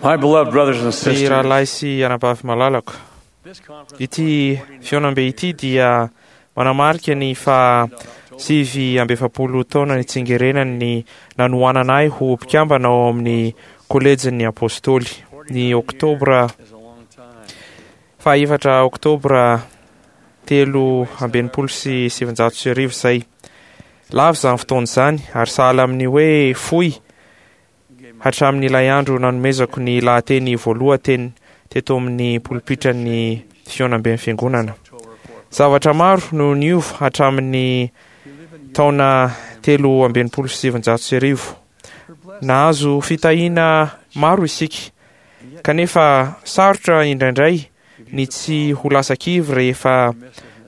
My beloved brothers and Ry sisters, rahalahy sy anabavy malalako, this conference ity fihaonambe ity dia manamarika ny fa 49 taona nitsingerenany nanohanana ahy ho mpikambana ao amin'ny kolejin'ny apôstôly. Ny oktobra is a long time. faha 4 oktobra 1963 izay. Lava izany fotoana izany ary sahala amin'ny hoe fohy hatramin'ilay andro nanomezako ny lahateny voalohateny teto amin'ny polipitran'ny fihaonamben'ny fiangonana. Zavatra maro no niova hatramin'ny taona 1963. Nahazo fitahiana maro isika, kanefa sarotra indraindray ny tsy ho lasa kivy rehefa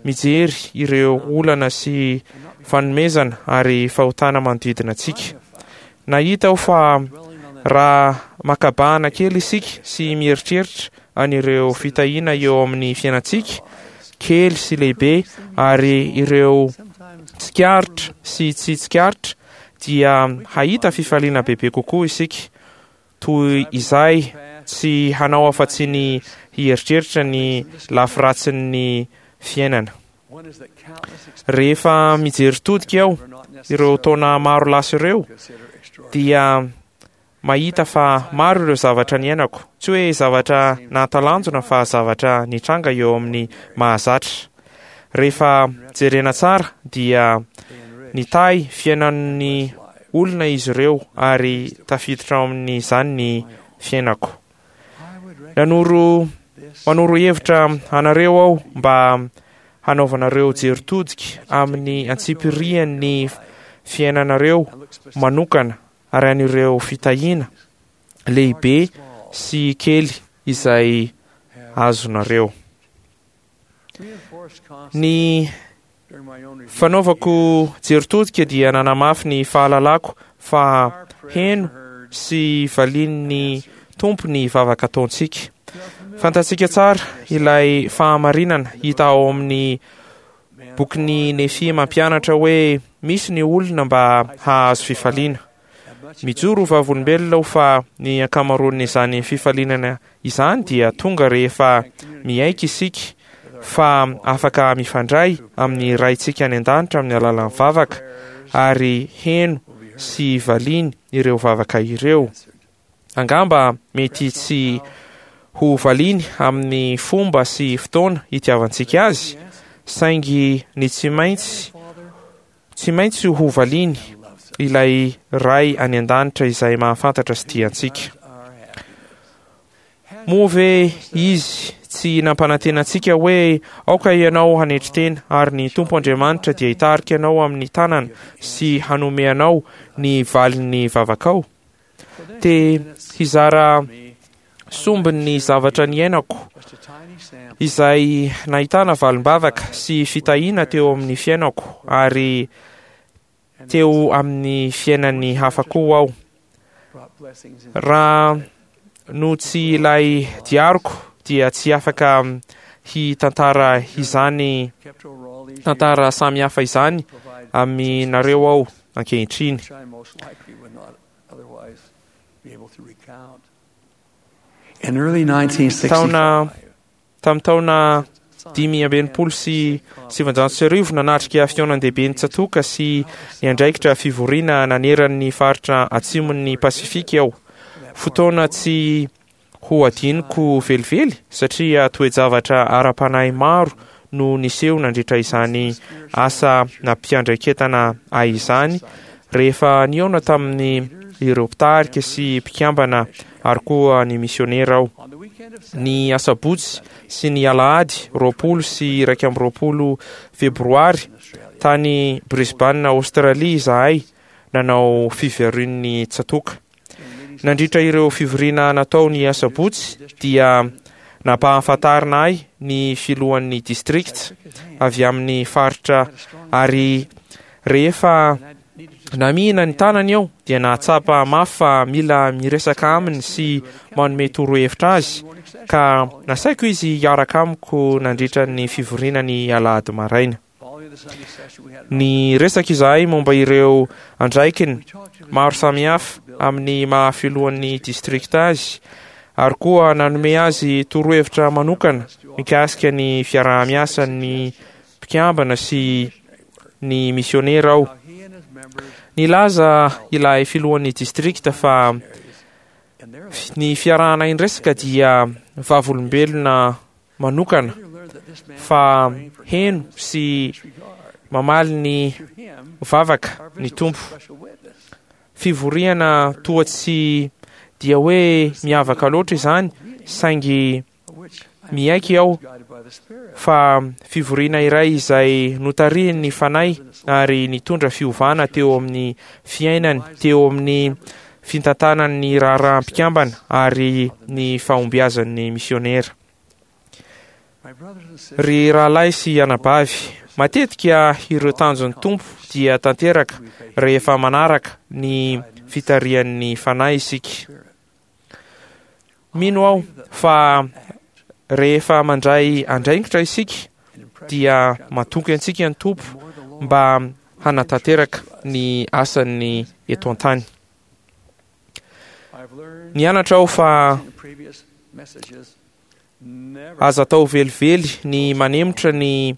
mijery ireo olana sy fanomezana ary fahotana manodidina antsika. Nahita aho fa raha makabahana kely isika sy mieritreritra an'ireo fitahiana eo amin'ny fiainantsika, kely sy lehibe, ary ireo tsikaritra sy tsy tsikaritra, dia hahita fifaliana bebe kokoa isika, toy izay tsy hanao afa-tsy ny hieritreritra ny lafiratsin'ny fiainana. One is that countless Rehefa mijery todika aho are not ireo taona maro lasa ireo, considered extraordinary. dia mahita fa maro ireo zavatra niainako, tsy hoe zavatra nahatalanjona fa zavatra nitranga eo amin'ny mahazatra. Rehefa jerena tsara dia nitahy fiainan'ny olona izy ireo ary tafiditra ao amin'izany ny fiainako. I would recommend Nanoro this manoro hevitra anareo aho mba hanaovanareo jery todika amin'ny antsipirian'ny fiainanareo and look specifically manokana ary an'ireo fitahiana lehibe sy kely izay azonareo. reinforced constantly Ny during my own review fanaovako jery todika dia nanamafy ny fahalalako fa our prayers heno are heard sy valian'ny Tompo ny vavaka ataontsika. We are familiar Fantatsika tsara ilay fahamarinana hita ao amin'ny man bokin'ny Nefia mampianatra hoe misy ny olona mba hahazo fifaliana. and much of Mijoro ho vavolombelona aho fa ny ankamaroan'izany fifalinana izany dia tonga rehefa miaiky isika fa afaka mifandray amin'ny Raintsika any an-danitra amin'ny alalan'ny vavaka ary heno will be heard sy valiany ireo vavaka ireo. answered. Angamba mety tsy ho valiany amin'ny fomba sy fotoana itiavantsika azy, saingy ny tsy maintsy Father tsy maintsy ho valiany loves us. ilay Ray any an-danitra izay mahafantatra sy tia antsika. Our happiness. Moa ve izy tsy nampanantena antsika hoe aoka ianao hanetry tena ary ny Tompo Andriamanitra dia hitarika anao amin'ny tanana sy hanome anao ny valin'ny vavakao? Te hizara sombin'ny zavatra niainako Just a tiny sample izay nahitana valim-bavaka sy fitahiana teo amin'ny fiainako ary and teo amin'ny fiainan'ny hafa koa aho. brought blessings and Raha no tsy ilay diariko dia tsy afaka hitantara izany kept over all these tantara samihafa izany years provided aminareo aho ankehitriny. which I most likely would not otherwise be able to recount. In early 1965, Taona tamin'ny taona 1965 nanatrika fihaonan-dehibe ny tsatoka sy niandraikitra fivoriana naneran'ny faritra atsimon'ny Pasifika aho. Fotoana tsy ho adinoko velively satria toe-javatra ara-panahy maro no niseho nandritra izany asa nampiandraiketana ahy izany rehefa nihaona tamin'ny ireo mpitarika sy mpikambana ary koa ny misionera aho. on the weekend of Ny asabotsy sy ny alahady 20 sy 21 febroary tany Brisbane, Australie izahay nanao fivorian'ny tsatoka. Nandritra ireo fivoriana natao ny asabotsy dia nampahafantarina ahy ny filohan'ny district avy amin'ny faritra ary rehefa namihina ny tanany aho dia nahatsapa mafy fa mila miresaka aminy sy manome torohevitra azy ka nasaiko izy hiaraka amiko nandritra ny fivoriana ny alahady maraina. following the Sunday session, we had Ny resaka izahay momba ireo andraikiny we talked to maro samihafa amin'ny maha filohan'ny district azy. Ary koa nanome azy torohevitra manokana mikasika ny fiaraha-miasan'ny mpikambana sy ny misionera aho. Nilaza ilay filohan'ny distrikta fa ny fiarahana indresaka dia vavolombelona manokana fa heno sy mamaly ny vavaka ny Tompo. Fivoriana toa tsy dia hoe miavaka loatra izany, saingy miaiky aho fa fivoriana iray izay notarihin'ny Fanahy ary nitondra fiovana teo amin'ny fiainany, teo amin'ny fitantanany ny raharaham-pikambana ary ny fahombiazan'ny misionera. Ry rahalahy sy anabavy, matetika ireo tanjon'ny Tompo dia tanteraka rehefa manaraka ny fitarihan'ny Fanahy isika. Mino aho fa rehefa mandray andraikitra isika dia matoky antsika ny Tompo mba hanatanteraka ny asany eto an-tany. Nianatra aho fa aza atao velively ny manemotra ny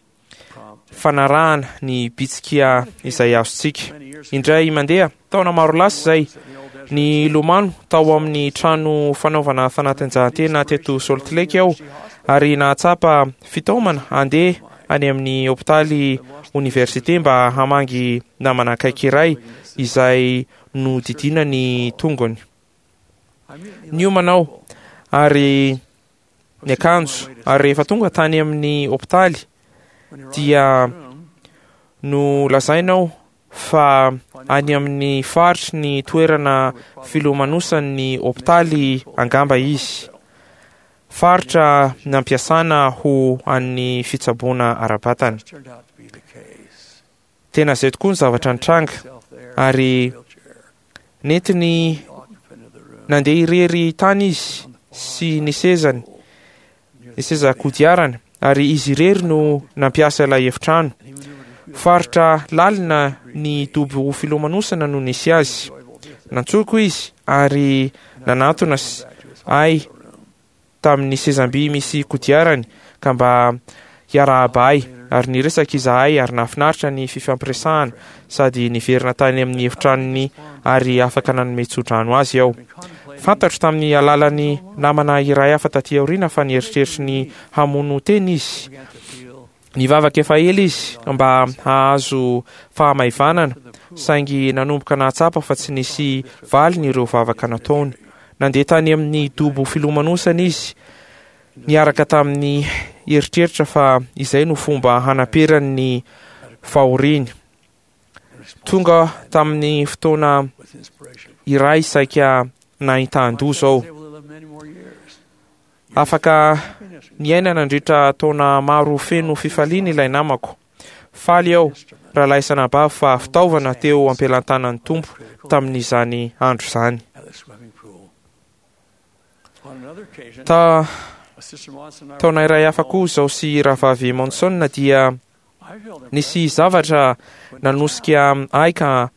fanarahana ny bitsika izay azontsika. Indray mandeha, taona maro lasa izay, nilomano tao amin'ny trano fanaovana fanatanjahantena teto Salt Lake aho ary nahatsapa fitaomana handeha any amin'ny hopitaly oniversite mba hamangy namana akaiky iray izay nodidiana ny tongony. Niomana aho ary niakanjo ary rehefa tonga tany amin'ny hopitaly dia nolazaina aho fa any amin'ny faritry ny toerana filomanosan'ny hopitaly angamba izy. Faritra nampiasana ho an'ny fitsaboana ara-batana. Tena izay tokoa ny zavatra nitranga, ary nentiny nandeha irery tany izy sy ny sezany, ny seza kodiarany, ary izy irery no nampiasa ilay efitrano. Faritra lalina ny dobo filomanosana no nisy azy. Nantsoiko izy ary nanatona ahy tamin'ny sezam-by misy kodiarany ka mba hiarahaba ahy, ary niresaka izahay ary nahafinaritra ny fifampiresahana sady niverina tany amin'ny efitranony ary afaka nanome tsodrano azy aho. Fantatro tamin'ny alalan'ny namana iray hafa taty aoriana fa nieritreritry ny hamono tena izy. Nivavaka efa ela izy mba hahazo fahamaivanana, saingy nanomboka nahatsapa fa tsy nisy valiny ireo vavaka nataony. Nandeha tany amin'ny dobo filomanosana izy, niaraka tamin'ny eritreritra fa izay no fomba hanaperany ny fahoriany. Tonga tamin'ny fotoana iray saika nahitan-doza aho. Afaka niaina nandritra taona maro feno fifaliana ilay namako. Faly aho, rahalahy sy anabavy, fa fitaovana teo am-pelantanan'ny Tompo tamin'izany andro izany. Ta taona iray hafa koa izaho sy Rahavavy Monson dia nisy zavatra nanosika ahy ka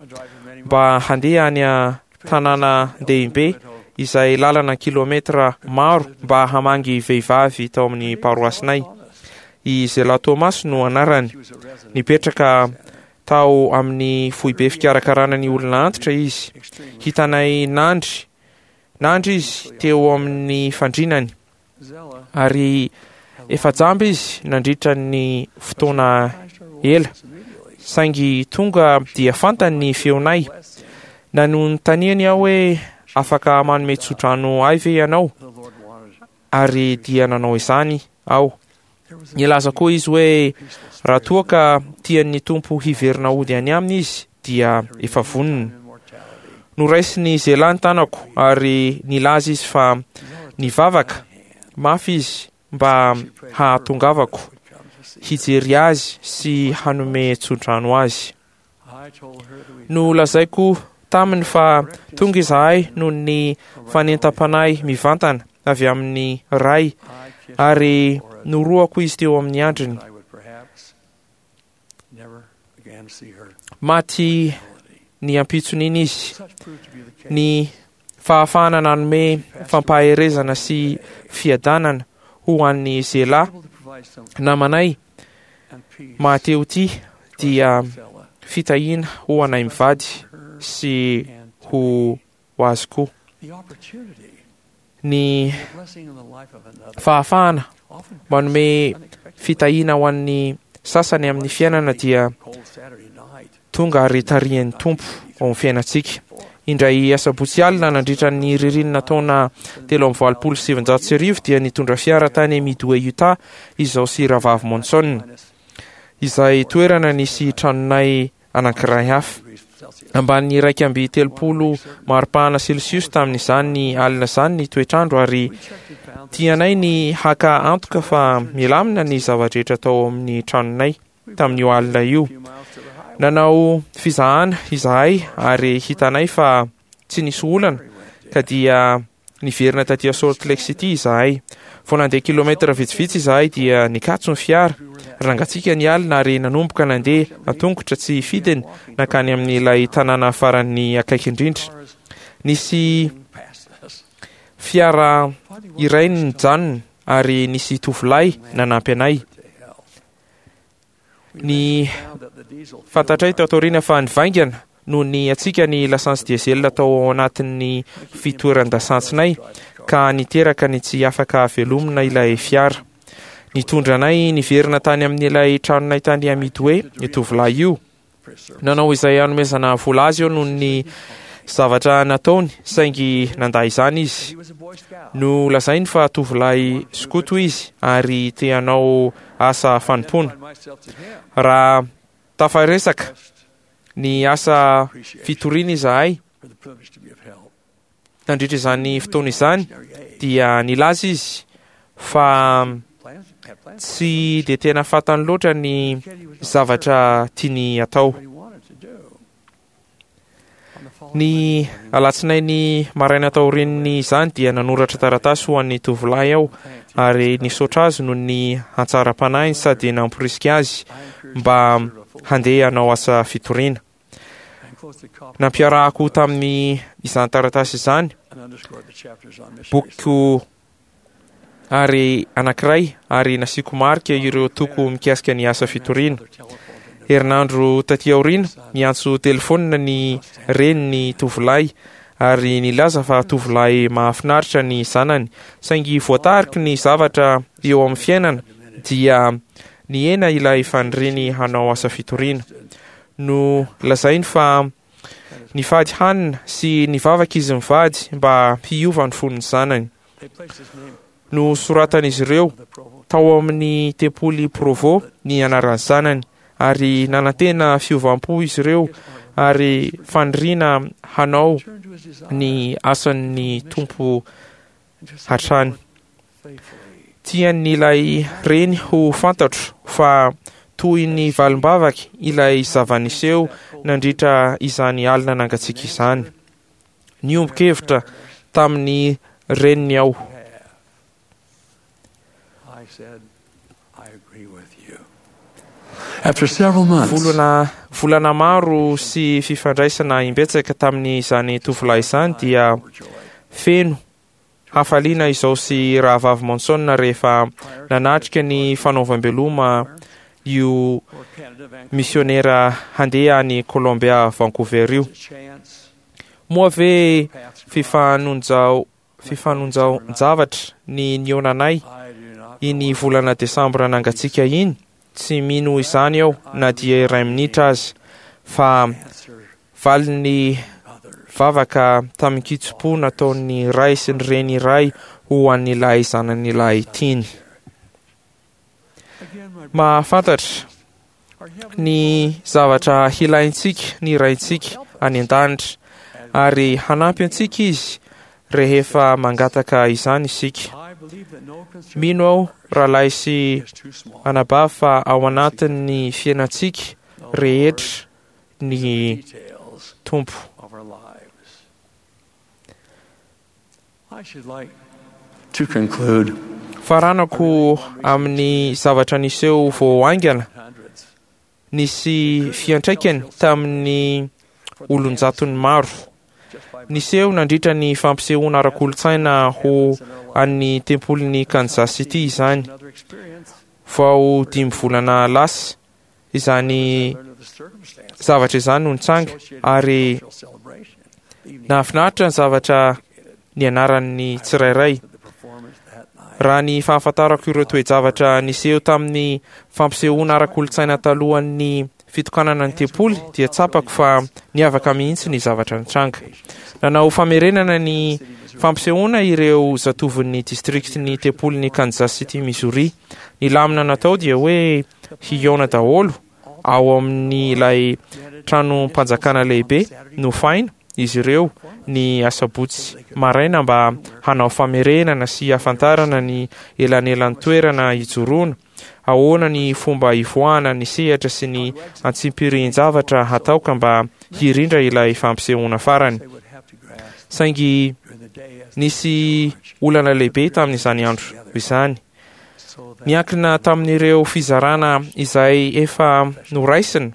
mba handeha any an-tanàna dehibe izay lalana kilometra maro mba hamangy vehivavy tao amin'ny paroasinay. I Zela Thomas no anarany. Nipetraka tao amin'ny foibe fikarakarana ny olona antitra izy. Hitanay nandry nandry izy teo amin'ny fandrinany. Ary efa jamba izy nandritra ny fotoana ela, saingy tonga dia fantany ny feonay. Nanontaniany aho hoe, Afaka manome tsodrano ahy ve ianao? Ary dia nanao izany aho. Nilaza koa izy hoe raha toa ka tian'ny Tompo hiverina hody any aminy izy dia efa vonona. Noraisin'i Zela ny tanako ary nilaza izy fa nivavaka mafy izy mba hahatongavako hijery azy sy hanome tsodrano azy. Nolazaiko taminy fa tonga izahay noho ny fanentam-panahy mivantana avy amin'ny Ray, ary norohako izy teo amin'ny andriny. Maty ny ampitson'iny izy. Ny. Fahafahana nanome fampaherezana sy fiadanana ho an'i Zela namanay mahatehotia dia fitahiana ho anay mivady sy ho azy koa. Ny fahafahana manome fitahiana ho an'ny sasany amin'ny fiainana dia tonga ary tarihin'ny Tompo ao amin'ny fiainantsika. Indray asabotsy alina nandritra ny ririnina taona 1983 dia nitondra fiara tany Midway, Utah izaho sy Rahavavy Monson, izay toerana nisy tranonay anankiray hafa. Ambanin'ny 31 maripana celsius tamin'izany alina izany ny toetr'andro ary tianay ny haka antoka fa milamina ny zava-drehetra tao amin'ny tranonay tamin'io alina io. Nanao fizahana izahay ary hitanay fa tsy nisy olana ka dia Niverina taty Salt Lake City izahay. Vao nandeha kilometatra vitsivitsy izahay dia nikatso ny fiara. Nangatsiaka ny alina ary nanomboka nandeha an-tongotra tsy fidiny nankany amin'ilay tanàna farany akaiky indrindra. Nisy fiara iray nijanona ary nisy tovolahy nanampy anay. Ny fantatray tato aoriana fa nivaingana noho ny hatsiaka ny lasantsy diesel tao anatin'ny fitoeran-dasantsinay ka niteraka ny tsy afaka velomina ilay fiara. Nitondra anay niverina tany amin'ilay tranonay tany Midway io tovolahy io. Nanao izay hanomezana vola azy eo noho ny zavatra nataony, saingy nandà izany izy. Nolazainy fa tovolahy skoto izy ary te hanao asa fanompoana. Raha tafaresaka ny asa fitoriana izahay nandritra izany fotoana izany, dia nilaza izy fa tsy dia tena fantany loatra ny zavatra tiany atao. Ny alatsinainy maraina taorian'izany dia nanoratra taratasy ho an'ny tovolahy aho ary nisaotra azy noho ny hatsaram-panahiny sady namporisika azy mba handeha hanao asa fitoriana. Nampiarahako tamin'ny izany taratasy izany bokiko ary anankiray ary nasiako marika ireo toko mikasika ny asa fitoriana. Herinandro taty aoriana, niantso telefaonina ny renin'ny tovolahy ary nilaza fa tovolahy mahafinaritra ny zanany, saingy voatariky ny zavatra eo amin'ny fiainana dia nihena ilay faniriany hanao asa fitoriana. Nolazainy fa Nifady hanina sy nivavaka izy mivady mba hiova ny fon'ny zanany. Nosoratan'izy ireo tao amin'ny tempoly Provo ny anaran'ny zanany ary nanantena fiovam-po izy ireo ary faniriana hanao ny asan'ny Tompo hatrany. Tian'ilay reny ho fantatro fa toy ny valim-bavaka ilay zava-niseho nandritra izany alina nangatsiaka izany. Niombon-kevitra tamin'ny reniny aho. Volana volana maro sy fifandraisana imbetsaka tamin'izany tovolahy izany dia feno Hafaliana izao sy Rahavavy Monson rehefa nanatrika ny fanaovam-beloma io misionera handeha any Columbia Vancouver io. Moa ve fifanonjaon-javatra ny nihaonanay iny volana desambra nangatsiaka iny? Tsy mino izany aho na dia iray minitra aza, fa Valin'ny vavaka tamin-kitsim-po nataon'ny ray sy ny reny iray ho an'ilay zanany lahy tiany. Mahafantatra ny zavatra hilaintsika ny Raintsika any an-danitra, ary hanampy antsika Izy rehefa mangataka izany isika. Mino aho, rahalahy sy anabavy, fa ao anatin'ny fiainantsika rehetra ny Tompo. Faranako amin'ny zavatra niseho vao haingana nisy fiantraikany tamin'ny olon-jatony maro. Niseho nandritra ny fampisehoana ara-kolontsaina ho an'ny tempolin'i Kansas City izany. Vao dimy volana lasa izany zavatra izany no nitranga ary nahafinaritra ny zavatra nianaran'ny tsirairay. Raha ny fahafantarako ireo toe-javatra niseho tamin'ny fampisehoana ara-kolontsaina talohan'ny fitokanana ny tempoly dia tsapako fa niavaka mihitsy ny zavatra nitranga. Nanao famerenana ny fampisehoana ireo zatovon'ny district ny tempolin'i Kansas City, Missouri. Ny lamina natao dia hoe hihaona daholo ao amin'ilay tranom-panjakana lehibe nofaina izy ireo ny asabotsy maraina mba hanao famerenana sy hahafantarana ny elanelan'ny toerana hijoroana Ahoana ny fomba hivoahana ny sehatra sy ny antsimpirihin-javatra hatao ka mba hirindra ilay fampisehoana farany? Saingy nisy olana lehibe tamin'izany andro izany. Niankina tamin'ireo fizarana izay efa noraisina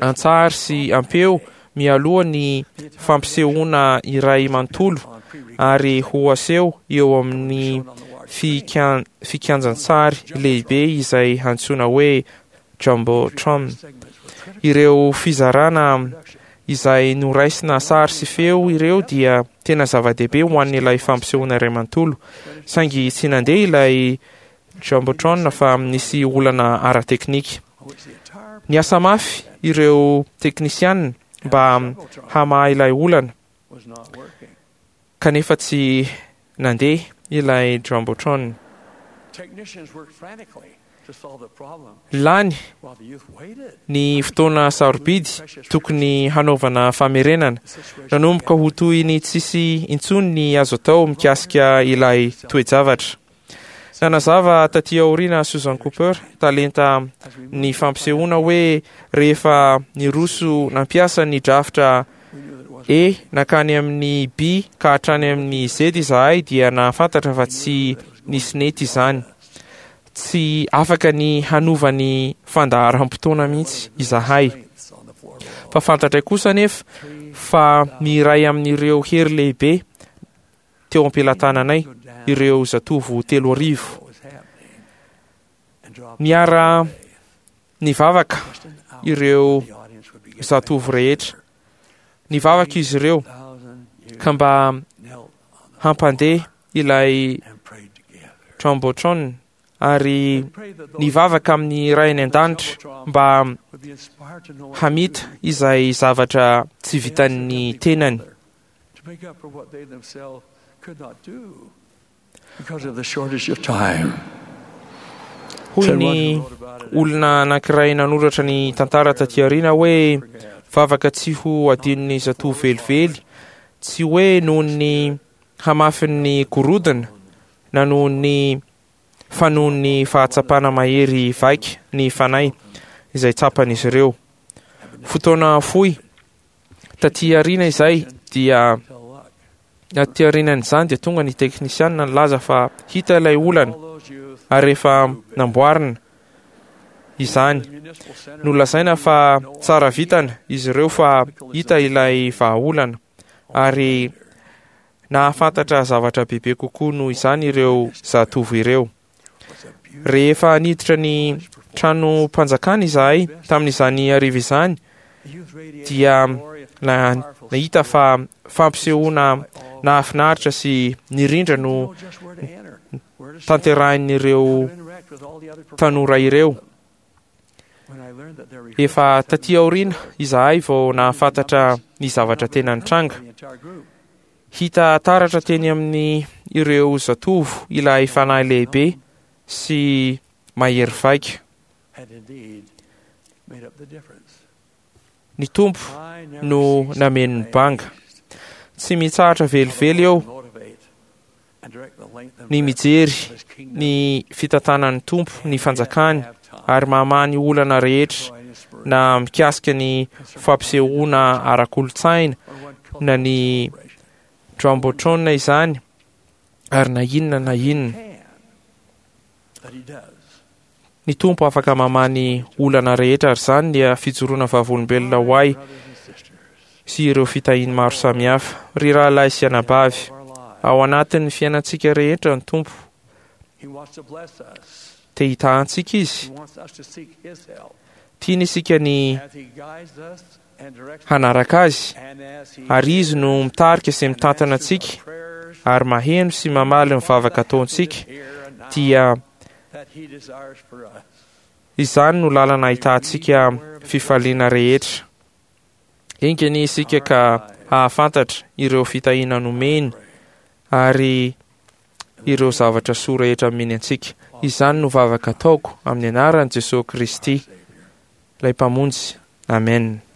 an-tsary sy am-peo mialoha ny fampisehoana iray manontolo ary ho aseho eo amin'ny fikianjan-tsary lehibe izay antsoina hoe Jumbotron. Ireo fizarana izay noraisina sary sy feo ireo dia tena zava-dehibe ho an'ilay fampisehoana iray manontolo, saingy tsy nandeha ilay Jumbotron fa nisy olana ara-teknika. Niasa mafy ireo teknisianina mba hamaha ilay olana, kanefa tsy nandeha ilay Jumbotron. Lany ny fotoana sarobidy tokony hanaovana famerenana. Nanomboka ho toy ny tsisy intsony ny azo atao mikasika ilay toe-javatra. Nanazava tatỳ aoriana Susan Cooper, talenta ny fampisehoana hoe rehefa niroso nampiasa ny drafitra E nankany amin'ny B ka hatrany amin'ny Z izahay dia nahafantatra fa tsy nisy nety izany. Tsy afaka ny hanova ny fandaharam-potoana mihitsy izahay. Fa fantatray kosa anefa fa ny iray amin'ireo hery lehibe teo am-pelatananay ireo zatovo 3000. Niara nivavaka ireo zatovo rehetra. Nivavaka izy ireo ka mba hampandeha ilay Jumbotron ary nivavaka amin'ny Ray any An-danitra mba hamita izay zavatra tsy vitan'ny tenany. To make up for what they themselves could not do because of the shortage of time. Hoy ny olona anankiray nanoratra ny tantara taty aoriana hoe vavaka tsy ho adinon'ny zatovo velively, tsy hoe noho ny hamafin'ny gorodona na noho ny fa noho ny fahatsapana mahery vaika ny fanahy izay tsapan'izy ireo. Fotoana fohy Taty aoriana izay dia taty aorianan'izany dia tonga ny teknisianina nilaza fa hita ilay olana ary efa namboarina izany. Nolazaina fa tsara vitana izy ireo fa hita ilay vahaolana ary nahafantatra zavatra bebe kokoa noho izany ireo zatovo ireo. Rehefa niditra ny tranom-panjakana izahay tamin'izany hariva izany, dia nahita fa fampisehoana nahafinaritra sy nirindra no tanterahin'ireo tanora ireo. Efa taty aoriana izahay vao nahafantatra ny zavatra tena nitranga. Hita taratra teny amin'ny ireo zatovo ilay fanahy lehibe sy mahery vaika. Ny Tompo no nameno ny banga. Tsy mitsahatra velively eo ny mijery ny fitantanan'ny Tompo ny fanjakany ary mamaha ny olana rehetra na mikasika ny fampisehoana ara-kolontsaina na ny Jumbotron izany ary na inona na inona. Ny Tompo afaka mamaha ny olana rehetra ary izany dia fijoroana vavolombelona ho ahy. sy ireo fitahiany maro samihafa. Ry rahalahy sy anabavy, ao anatin'ny fiainantsika rehetra ny Tompo. Te hitaha antsika Izy. Tiany isika ny hanaraka Azy, ary Izy no mitarika sy mitantana antsika ary maheno sy mamaly ny vavaka ataontsika, dia izany no lalana ahitantsika fifaliana rehetra. Enga anie isika ka hahafantatra ireo fitahiana nomeny ary ireo zavatra soa rehetra omeny antsika. Izany no vavaka ataoko amin'ny anaran'i Jesoa Kristy, ilay Mpamonjy. Amen.